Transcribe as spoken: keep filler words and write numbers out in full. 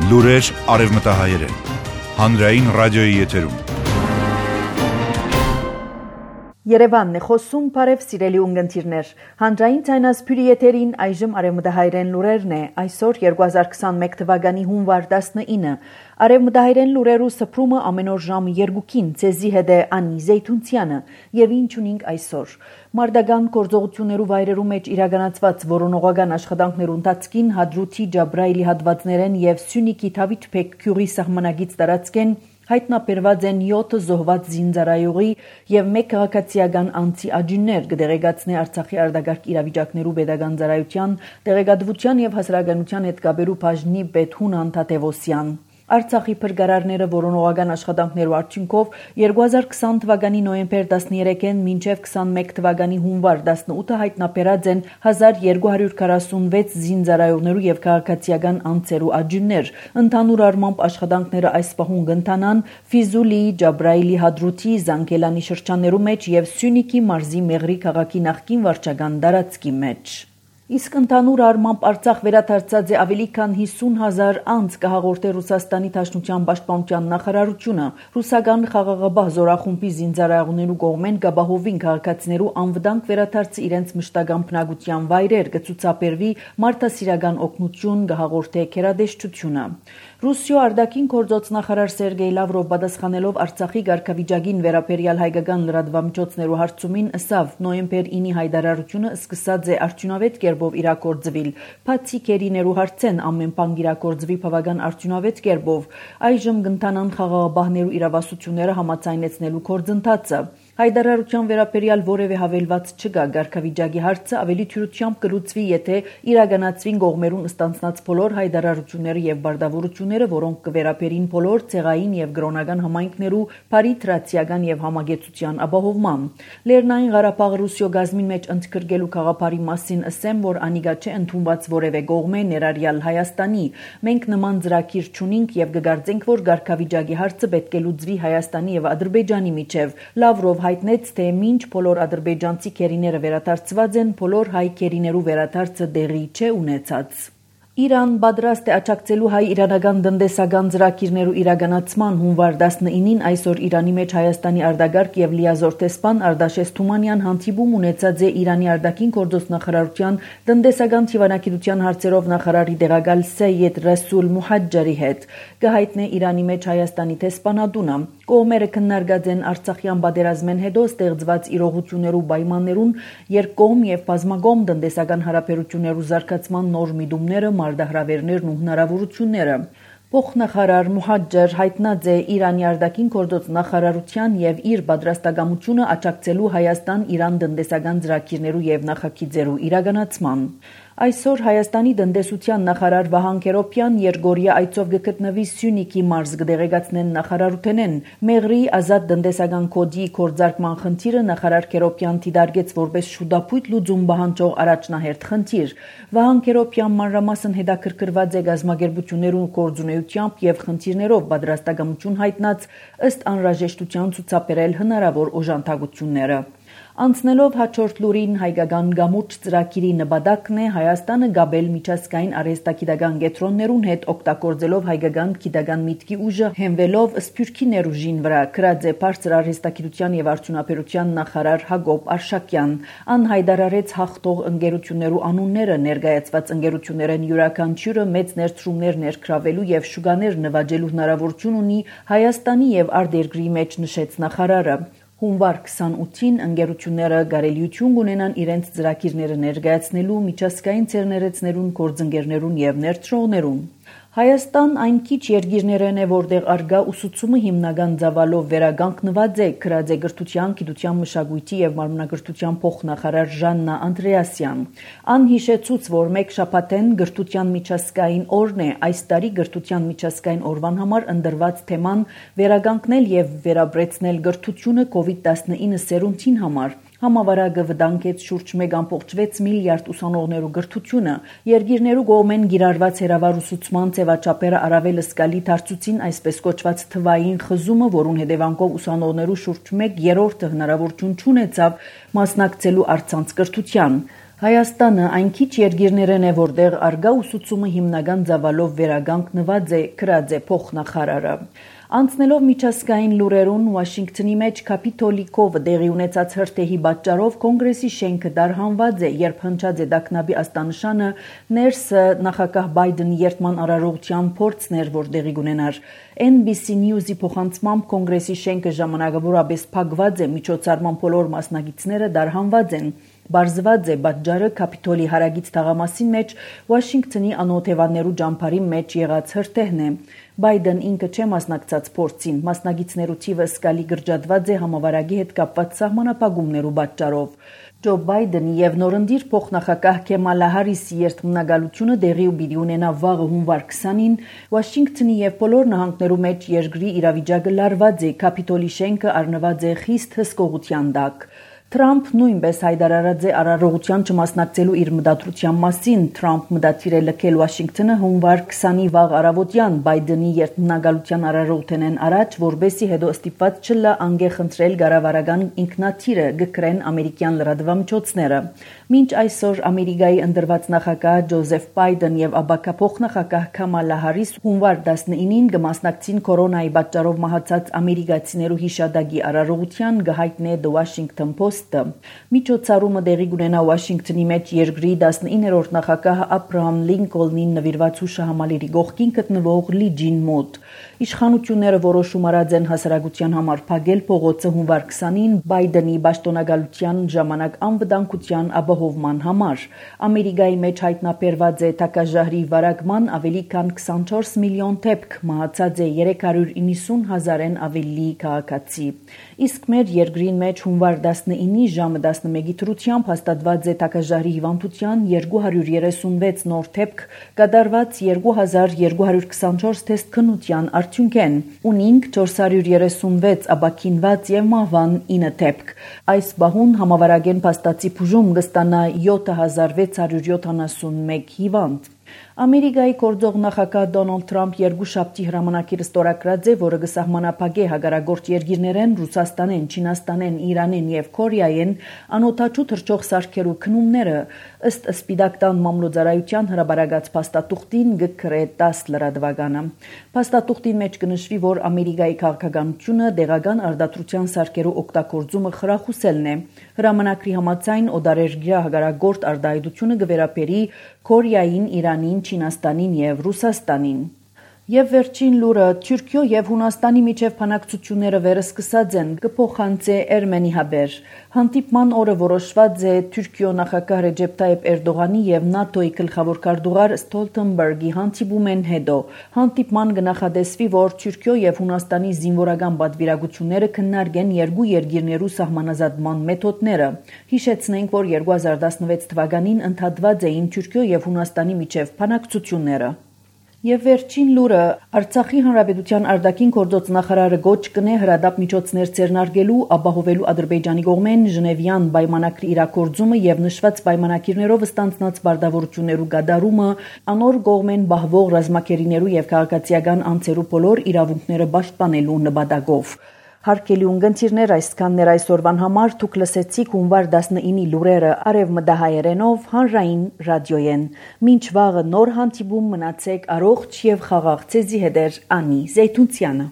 Լուրեր արևմտահայերեն։ Հանրային ռադիոյի եթերում։ Երևանն է խոսում, բարև սիրելի ունգընտիրներ։ Հանրային ցայնասփյուրի եթերին այժմ արևմտահայերեն լուրերն է։ Այսօր երկու հազար քսանմեկ թվականի հունվար տասնինը։ Արևմտահայերեն լուրերու սփռումը ամեն օր ժամը երկուքին ցեզի հետ է Անի Զեյթունցյանը եւ ինչ ունենք այսօր։ Մարդական գործողություններու վայրերու մեջ իրականացված որոնողական աշխատանքներու ընթացքին Հադրութի Ջաբրայելի հատվածներեն եւ Սյունիքի Թավիթ Փեքքյուրի սահմանագից տարածքեն հայտնաբերված են յոթ զոհված զինծառայողի եւ մեկ քաղաքացիական անձի աջուններ կդեղեկացնի Արցախի արտագաղթ իրավիճակներու pedagogan ծառայության տեղեկատվության եւ հասարակայնության հետ կապերու բաժնի պետ Հունան Թադևոսյան Արցախի փրկարարները որոնողական աշխատանքներու արդյունքով երկու հազար քսան թվականի նոյեմբեր տասներեքին մինչև քսանմեկ թվականի հունվար տասնութը հայտնաբերած են հազար երկու հարյուր քառասունվեց զինծառայողներու եւ քաղաքացիական անձերու աջուններ։ Ընդհանուր առմամբ աշխատանքները այս պահուն կընթանան Ֆիզուլիի, Ջաբրայելի, Հադրութի, Զանգելանի շրջաններու մեջ եւ Սյունիքի մարզի Մեղրի քաղաքի նախկին վարչական տարածքի մեջ։ Իսկ ընդհանուր առմամբ Արցախ վերադարձած է ավելի քան հիսուն հազար անձ կհաղորդե Ռուսաստանի Դաշնության պաշտպանության նախարարությունը։ Ռուսական խաղաղաբահ զորախումբի զինծառայողներու կողմեն գաբահովին քաղաքացիներու անվտանգ վերադարձը իրենց մշտական բնակության վայրեր կցուցաբերվի մարդասիրական օգնություն կհաղորդե քերադեշտությունը։ Ռուսիո արտաքին գործոց նախարար Սերգեյ Լավրով պատասխանելով Արցախի ղարքավիճակին վերաբերյալ հայկական լրատվամիջոցներու հարցումին ըսավ նոյեմբեր ինի հայտարարությունը սկսած է արդյունավետ կերպով իրագործվել։ Բացի քերիներու հարցեն ամեն բան իրագործվի բավական արդյունավետ կերպով։ Այժմ կընթանան խաղաղաբահներու իրավասությունները համաձայնեցնելու գործընթացը։ Հայտարարության վերաբերյալ որևէ հավելված չկա։ Ղարքավիճակի հարցը ավելի թյուրությամբ կլուծվի, եթե իրականացվին կողմերուն ստանձնած բոլոր հայտարարությունները եւ բարդավորությունները, որոնք կվերաբերին բոլոր ցեղային եւ կրոնական համայնքներու բարիտրացիական եւ համագեցության ապահովման։ Լեռնային Ղարաբաղը Ռուսիո գազմին մեջ ընդգրկելու խաղապարի մասին ասեմ, որ անիկա չէ ընդունված որևէ կողմե ներառյալ Հայաստանի։ Մենք նման ծրագիր չունենք եւ կգարձենք, որ ղարքավիճակի հարցը պետք է լուծվի Հայաստանի եւ Ադրբեջանի միջև։ Լավրով հայտնեց, թե մինչ բոլոր ադրբեջանցի քերիները վերադարձված են, բոլոր հայ քերիներու վերադարձը դեղի չէ ունեցած։ Իրան պատրաստ է աջակցելու հայ-իրանական տնտեսական ծրագիրներու իրականացման հունվար տասնինին այսօր Իրանի մեջ Հայաստանի արտագաղթ եւ լիազոր տեսփան Արտաշես Թումանյան հանդիպում ունեցած է Իրանի արտաքին գործոց նախարարության տնտեսական թիվանակիտության հարցերով նախարարի տեղակալ Սեյեդ Ռասուլ Մուհաջջարի հետ։ Կհայտնե Իրանի մեջ Հայաստանի տեսփանատունը։ Կողմերը քննարկած են Արցախյան պատերազմեն հետո ստեղծված իրողություններու պայմաններուն երկկողմ եւ բազմակողմ տնտեսական հարաբերություններու զարգացման նոր միտումները, մարդահրավերներն ու հնարավորությունները։ Փոխնախարար Մուհաջջար հայտնած է Իրանի արտաքին գործոց նախարարության եւ իր պատրաստակամությունը աջակցելու Հայաստան-Իրան տնտեսական ծրագիրներու եւ նախագիծերու իրականացման։ Այսօր Հայաստանի տնտեսության նախարար Վահան Քերոբյան Երգորիա այցով կգտնվի Սյունիքի մարզ կդեղեկացնեն նախարարութենեն։ Մեղրի ազատ տնտեսական կոդի կորձարկման խնդիրը նախարար Քերոբյան դիտարկեց որպես շուտապույտ լուծում պահանջող առաջնահերթ խնդիր։ Վահան Քերոբյան մանրամասն հետաքրքրված է գազམ་ագերբություններու գործունեությամբ եւ խնդիրներով պատրաստակամություն հայտնած ըստ անհրաժեշտության ցուցաբերել հնարավոր օժանդակությունները։ Անցնելով հաջորդ լուրին հայկական գամուրջ ծրագիրի նպատակն է Հայաստանը գաբել միջազգային արհեստագիտական կենտրոններուն հետ օգտագործելով հայկական գիտական միտքի ուժը հենվելով սփյուռքի ներուժին վրա գրած է բարձր արհեստագիտության եւ արդյունաբերության նախարար Հակոբ Արշակյան։ Ան հայտարարեց հաղթող ընկերություններու անունները ներկայացված ընկերություններեն յուրաքանչյուրը մեծ ներդրումներ ներգրավելու եւ շուկաներ նվաճելու հնարավորություն ունի Հայաստանի եւ արտերկրի մեջ նշեց նախարարը։ Հունվար քսանութին ընկերությունները կարելիություն կունենան իրենց ծրագիրները ներկայացնելու միջազգային ցերներեցներուն, գործընկերներուն եւ ներդրողներուն։ Հայաստան այն քիչ երկիրներն է, որտեղ արգա ուսուցումը հիմնական ծավալով վերականգնված է, գրած է Գրթության, Գիտության, Մշակույթի եւ Մարմնագրթության փոխնախարար Ժաննա Անդրեասյան։ Ան հիշեցուց, որ մեկ շաբաթեն Գրթության միջազգային օրն է, այս տարի Գրթության միջազգային օրվան համար ընդրված թեման վերականգնել եւ վերաբրեցնել գրթությունը կովիդ տասնինը սերունդին համար։ Համավարակը վտանգեց շուրջ մեկ ամբողջ վեց միլիարդ ուսանողներու գրթությունը։ Երկիրներու կողմեն գիրառված հերավար ուսուցման ձևաչափերը առավել զգալի դարձուցին այսպես կոչված թվային խզումը, որուն հետևանքով ուսանողներու շուրջ մեկ երրորդը հնարավորություն չունեցավ մասնակցելու առցանց կրթության։ Հայաստանը այն քիչ երկիրներն է, որտեղ արգա ուսուցումը հիմնական ծավալով վերագանքնված է, գրած է փոխնախարարը։ Անցնելով միջազգային լուրերուն Վաշինգտոնի մեջ Կապիտոլի կովը դեղի ունեցած հրթեհի պատճառով կոնգրեսի շենքը դարհանված է, երբ հնչած է դակնաբի աստանշանը, ներսը նախագահ Բայդենի երթման արարողության փորձն էր, որ դեղի կունենար։ N B C News-ի փոխանցմամբ կոնգրեսի շենքը ժամանակավորապես փակված է, միջոցառման բոլոր մասնակիցները դարհանված են։ Բարձված է պատճառը Կապիտոլի հարագից թաղամասին մեջ Վաշինգտոնի անօթևաններու ճամփարի մեջ եղած հրթեհն է։ Բայդեն ինքը չէ մասնակցած փորձին, մասնակիցներու թիվը սկալի գրջատված է համավարակի հետ կապված սահմանապահումներու պատճառով։ Ջո Բայդենի եւ նորընտիր փոխնախագահ Քեմալա Հարիսի երթմնագալությունը դեղի ու պիտի ունենա վաղը հունվար քսանին Վաշինգտոնի եւ բոլոր նահանգներու մեջ երկրի իրավիճակը լարված է, Կապիտոլի շենքը առնված է խիստ հսկողության տակ։ Թրամփ նույնպես հայտարարած է արարողության չմասնակցելու իր մտադրության մասին։ Թրամփ մտադիր է լքել Վաշինգտոնը հունվար քսանի վաղ առավոտյան Բայդենի երթմնագալության արարողութենեն առաջ, որբեսի հետո ստիպված չլա անգե խնդրել կառավարական ինքնաթիռը գկրեն ամերիկյան լրատվամիջոցները։ Մինչ այսօր Ամերիկայի ընտրված նախագահ Ջոզեֆ Բայդեն եւ ապակա փոխնախագահ Քամալա Հարիս հունվար տասնինին կմասնակցին կորոնայի պատճառով մահացած ամերիկացիներու հիշադակի արարողության, կհայտնի The Washington Post-ը։ Միջոցառումը դեղի կունենա Վաշինգտոնի մեջ երկրի տասնիններորդ նախագահ Աբրահամ Լինկոլնին նվիրված հուշահամալիրի կողքին գտնվող լիջին մոտ։ Իշխանությունները որոշում արած են հասարակության համար փակել փողոցը հունվար քսանին Բայդենի պաշտոնագալության ժամանակ անվտանգության ապահովման համար։ Ամերիկայի մեջ հայտնաբերված է տակաժահրի վարակման ավելի քան քսանչորս միլիոն դեպք, մահացած է երեք հարյուր իննսուն հազարեն ավելի քաղաքացի։ Իսկ մեր երկրին մեջ հունվար տասնինի ժամը տասնմեկի դրությամբ հաստատված է տակաժահրի հիվանդության երկու հարյուր երեսունվեց նոր դեպք, կատարված երկու հազար երկու հարյուր քսանչորս թեստ քննության արդյունքեն, ունինք չորս հարյուր երեսունվեց ապաքինված եւ մահվան ինը դեպք։ Այս բահուն համավարակեն փաստացի բուժում կստանա յոթ հազար վեց հարյուր յոթանասունմեկ հիվանդ։ Ամերիկայի գործող նախագահ Դոնալդ Թրամփ երկուշաբթի հրամանակիր ստորագրած է, որը կսահմանափակե հագարագործ երկիրներեն Ռուսաստանեն, Չինաստանեն, Իրանեն եւ Կորեայեն անօթաչու թռչող սարքերու քնումները, ըստ Սպիտակ տան մամլոյցարայության հրաբարացած փաստաթուղթին գկրե տաս լրատվականը։ Փաստաթուղթին մեջ կնշվի, որ Ամերիկայի քաղաքականությունը դեղական արդարության սարքերու օգտագործումը խրախուսելն է։ Հրամանակրի համաձայն օդարերգյա հագարագործ արդարությունը կվերապերի Կորեային, Իրանին, Չինաստանին եւ Ռուսաստանին։ Եվ վերջին լուրը Թուրքիո եւ Հունաստանի միջև բանակցությունները վերսկսած են, կփոխանցե Էրմենի հաբեր։ Հանդիպման օրը որոշված է Թուրքիո նախագահ Ռեջեփ Թայիփ Էրդողանի եւ ՆԱՏՕ-ի գլխավոր քարտուղար Ստոլտենբերգի հանդիպումեն հետո հանդիպման կնախադեсվի, որ Թուրքիո եւ Հունաստանի զինվորական պատվիրակությունները քննարկեն երկու երկիրներու սահմանազատման մեթոդները։ Հիշեցնենք, որ երկու հազար տասնվեց թվականին ընդհատված էին Թուրքիո եւ Հունաստանի միջև բանակցությունները։ Եվ վերջին լուրը Արցախի հանրապետության արտաքին գործոց նախարարը գոչ կնե հրադապ միջոցներ ձեռնարկելու, ապահովելու Ադրբեջանի կողմեն Ժնևյան պայմանագրի իրագործումը եւ նշված պայմանակիրներով ստանձնած բարդավորություններու գադարումը, անոր կողմեն բահվող ռազմակերիներու եւ քաղաքացիական անձերու բոլոր իրավունքները պաշտպանելու նպատակով։ Հարկելի ունգընտիրներ, այսքաններ այսօրվան համար դուք լսեցիք հունվար տասնինի լուրերը արևմտահայերենով հանրային ռադիոյեն։ Մինչ վաղը նոր հանդիպում մնացեք առողջ եւ խաղաղ ցեզի հետ Անի Զեյթունցյանը։